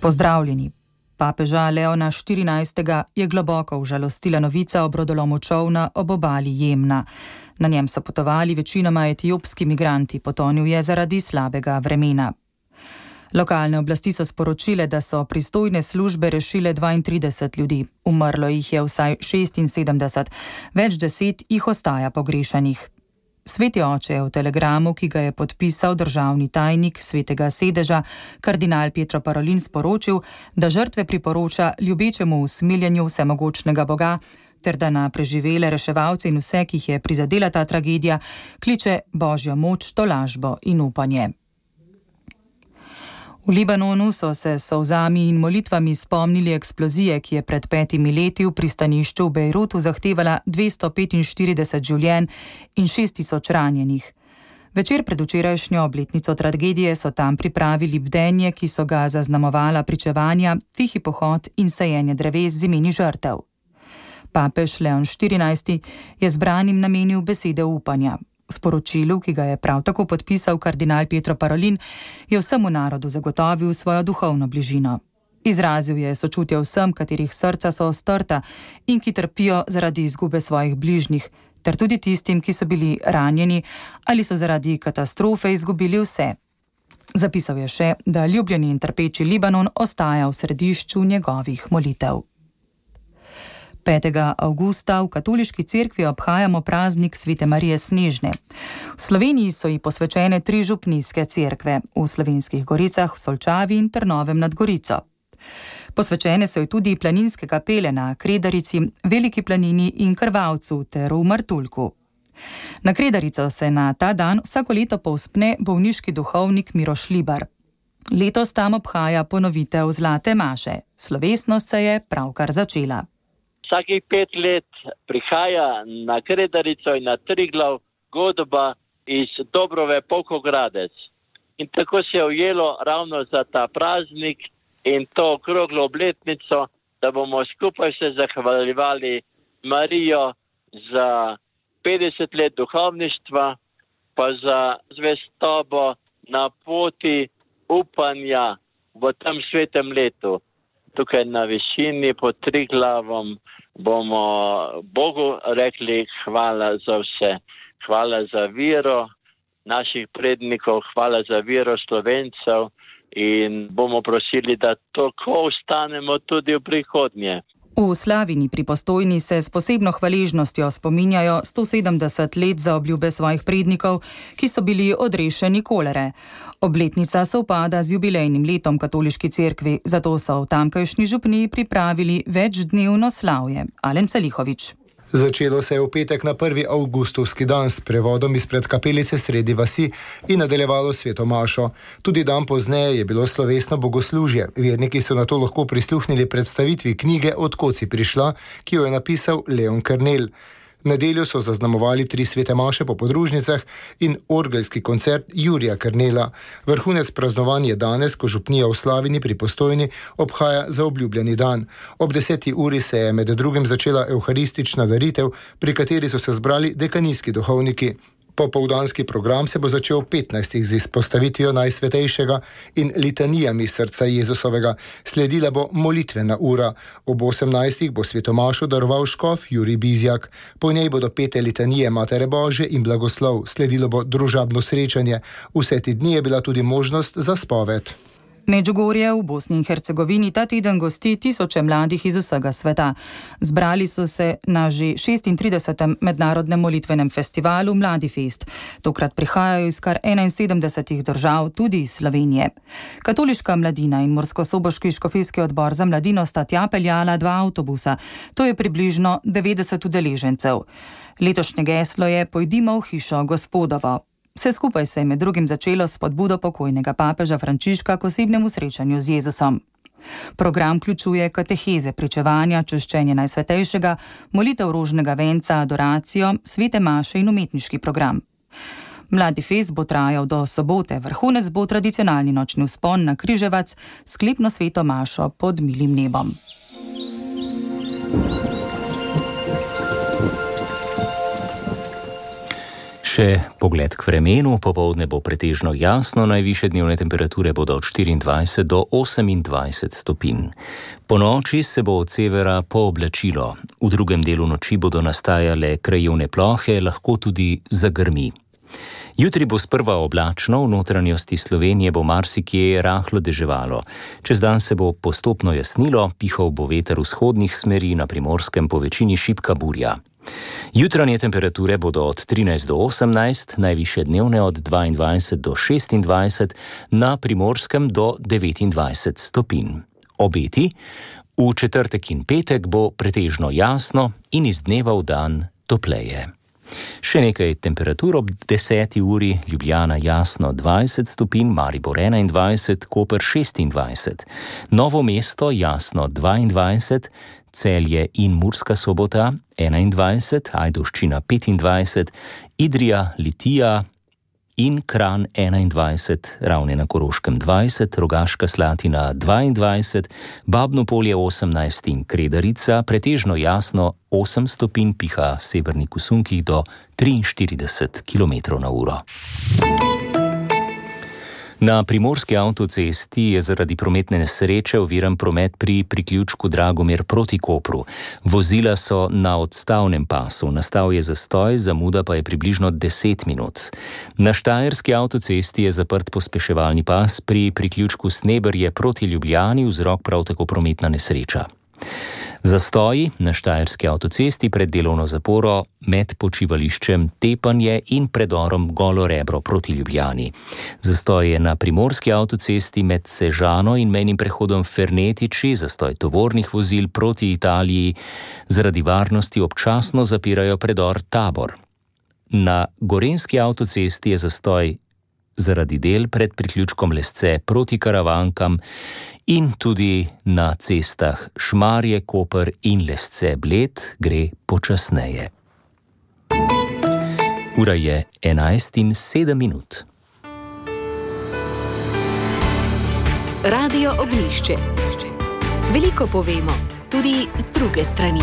Pozdravljeni. Papeža Leona XIV. Je globoko užalostila novica o brodolomu čolna ob obali Jemna. Na njem so potovali večinoma etiopski migranti, potonil je zaradi slabega vremena. Lokalne oblasti so sporočile, da so pristojne službe rešile 32 ljudi. Umrlo jih je vsaj 76, več 10 jih ostaja pogrešanih. Sveti oče je v telegramu, ki ga je podpisal državni tajnik Svetega sedeža, kardinal Pietro Parolin, sporočil, da žrtve priporoča ljubečemu usmiljenju vsemogočnega Boga, ter da na preživele reševalce in vse, ki jih je prizadela ta tragedija, kliče božjo moč, tolažbo in upanje. V Libanonu so se s solzami in molitvami spomnili eksplozije, ki je pred 5 leti v pristanišču v Bejrutu zahtevala 245 življenj in 6000 ranjenih. Večer pred včerajšnjo obletnico tragedije so tam pripravili bdenje, ki so ga zaznamovala pričevanja, tihi pohod in sajenje dreves z imeni žrtev. Papež Leon XIV. Je zbranim namenil besede upanja. V sporočilu, ki ga je prav tako podpisal kardinal Pietro Parolin, je vsemu narodu zagotovil svojo duhovno bližino. Izrazil je sočutje vsem, katerih srca so strta in ki trpijo zaradi izgube svojih bližnjih, ter tudi tistim, ki so bili ranjeni ali so zaradi katastrofe izgubili vse. Zapisal je še, da ljubljeni in trpeči Libanon ostaja v središču njegovih molitev. 5. avgusta v katoliški cerkvi obhajamo praznik Svete Marije Snežne. V Sloveniji so ji posvečene 3 župnijske cerkve, v Slovenskih Goricah, v Solčavi in Trnovem nad Gorico. Posvečene so ji tudi planinske kapele na Kredarici, Veliki planini in Krvavcu ter v Martuljku. Na Kredarico se na ta dan vsako leto povzpne bolniški duhovnik Miroš Libar. Letos tam obhaja ponovitev Zlate maše. Slovesnost se je pravkar začela. Vsakih 5 let prihaja na Kredarico in na Triglav godba iz Dobrove Polkogradec. In tako se je ujelo ravno za ta praznik in to okroglo obletnico, da bomo skupaj se zahvaljevali Marijo za 50 let duhovništva, pa za zvestobo na poti upanja v tem svetem letu. Tukaj na višini pod Triglavom bomo Bogu rekli hvala za vse. Hvala za vero naših prednikov, hvala za vero Slovencev in bomo prosili, da tako ostanemo tudi v prihodnje. V Slavini pri Postojni se s posebno hvaležnostjo spominjajo 170 let za obljube svojih prednikov, ki so bili odrešeni kolere. Obletnica sovpada z jubilejnim letom katoliški cerkvi, zato so v tamkajšnji župniji pripravili večdnevno slavje. Alen Celihovič. Začelo se je v petek na 1. avgustovski dan s prevodom izpred kapelice sredi vasi in nadaljevalo sveto mašo. Tudi dan pozneje je bilo slovesno bogoslužje. Verniki so na to lahko prisluhnili predstavitvi knjige Odkod si prišla, ki jo je napisal Leon Kernel. V nedeljo so zaznamovali 3 svete maše po podružnicah in orgelski koncert Jurija Kernela. Vrhunec praznovanja je danes, ko župnija v Slavini pri Postojni obhaja zaobljubljeni dan. Ob 10. uri se je med drugim začela evharistična daritev, pri kateri so se zbrali dekanijski duhovniki. Popoldanski program se bo začel ob 15. z izpostavitvijo Najsvetejšega in litanijami srca Jezusovega. Sledila bo molitvena ura. Ob 18. bo svetomašo daroval škof Jurij Bizjak. Po njej bodo pete litanije Matere Božje in blagoslov. Sledilo bo družabno srečanje. Vse te dni je bila tudi možnost za spoved. Medžugorje v Bosni in Hercegovini ta teden gosti tisoče mladih iz vsega sveta. Zbrali so se na že 36. mednarodnem molitvenem festivalu Mladi Fest. Tokrat prihajajo iz kar 71 držav, tudi iz Slovenije. Katoliška mladina in Murskosoboški škofijski odbor za mladino sta tja peljala 2 avtobusa. To je približno 90 udeležencev. Letošnje geslo je Pojdimo v hišo Gospodovo. Vse skupaj se je med drugim začelo s spodbudo pokojnega papeža Frančiška k osebnemu srečanju z Jezusom. Program vključuje kateheze, pričevanja, čaščenje Najsvetejšega, molitev rožnega venca, adoracijo, svete maše in umetniški program. Mladi fest bo trajal do sobote, vrhunec bo tradicionalni nočni vzpon na Križevac, sklepno sveto mašo pod milim nebom. Še pogled k vremenu, popoldne bo pretežno jasno, najvišje dnevne temperature bodo od 24 do 28 stopinj. Po noči se bo od severa pooblačilo, v drugem delu noči bodo nastajale krajevne plohe, lahko tudi zagrmi. Jutri bo sprva oblačno, v notranjosti Slovenije bo marsikje rahlo deževalo. Čez dan se bo postopno jasnilo, pihal bo veter vzhodnih smeri, na Primorskem po večini šibka burja. Jutranje temperature bodo od 13 do 18, najvišje dnevne od 22 do 26, na Primorskem do 29 stopinj. Obeti: v četrtek in petek bo pretežno jasno in iz dneva v dan topleje. Še nekaj temperatur ob 10. uri: Ljubljana jasno 20 stopinj, Maribor 21, Koper 26, Novo mesto jasno 22, Celje in Murska Sobota 21, Ajdovščina 25, Idrija, Litija in Kranj 21, Ravne na Koroškem 20, Rogaška Slatina 22, Babno Polje 18 in Kredarica pretežno jasno 8 stopinj, piha severnik v sunkih do 43 km/h. Na primorski avtocesti je zaradi prometne nesreče oviran promet pri priključku Dragomir proti Kopru. Vozila so na odstavnem pasu, nastal je zastoj, zamuda pa je približno 10 minut. Na štajerski avtocesti je zaprt pospeševalni pas pri priključku Sneberje proti Ljubljani, vzrok prav tako prometna nesreča. Zastoji na štajerski avtocesti pred delovno zaporo med počivališčem Tepanje in predorom Golo Rebro proti Ljubljani. Zastoj je na primorski avtocesti med Sežano in mejnim prehodom Fernetiči, zastoj tovornih vozil proti Italiji. Zaradi varnosti občasno zapirajo predor Tabor. Na gorenjski avtocesti je zastoj zaradi del pred priključkom Lesce proti Karavankam in tudi na cestah Šmarje, Koper in Lesce Bled gre počasneje. Ura je 11:07. Radio Oglišče. Veliko povemo, tudi z druge strani.